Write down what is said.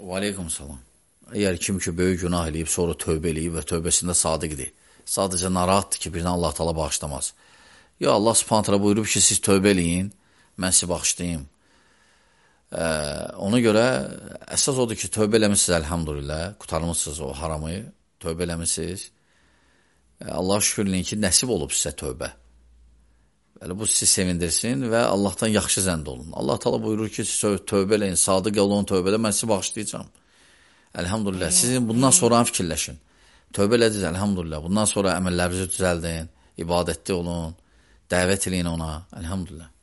Və aleykum salam. Əgər kim ki, böyük günah eləyib, sonra tövbə eləyib və tövbəsində sadiqdir, sadəcə narahatdır ki, birdən Allah Taala bağışlamaz. Ya Allah Subhanahu buyurub ki, siz tövbə eləyin, mən sizi bağışlayayım. Ona görə əsas odur ki, tövbə eləmişsiniz, əlhamdülillah, qutarmışsınız o haramı, tövbə eləmişsiniz. Allah şükürləyin ki, nəsib olub sizə tövbə. Bəli, bu sizi sevindirsin və Allahdan yaxşı zənd olun. Allah Taala buyurur ki, siz tövbə eləyin, sadiq olun tövbədə, mən sizi bağışlayacağam. Əlhamdülillah, sizin bundan sonra fikirləşin. Tövbə elədiniz, əlhamdülillah. Bundan sonra əməllərinizi düzəldin, ibadətli olun, dəvət eləyin ona, əlhamdülillah.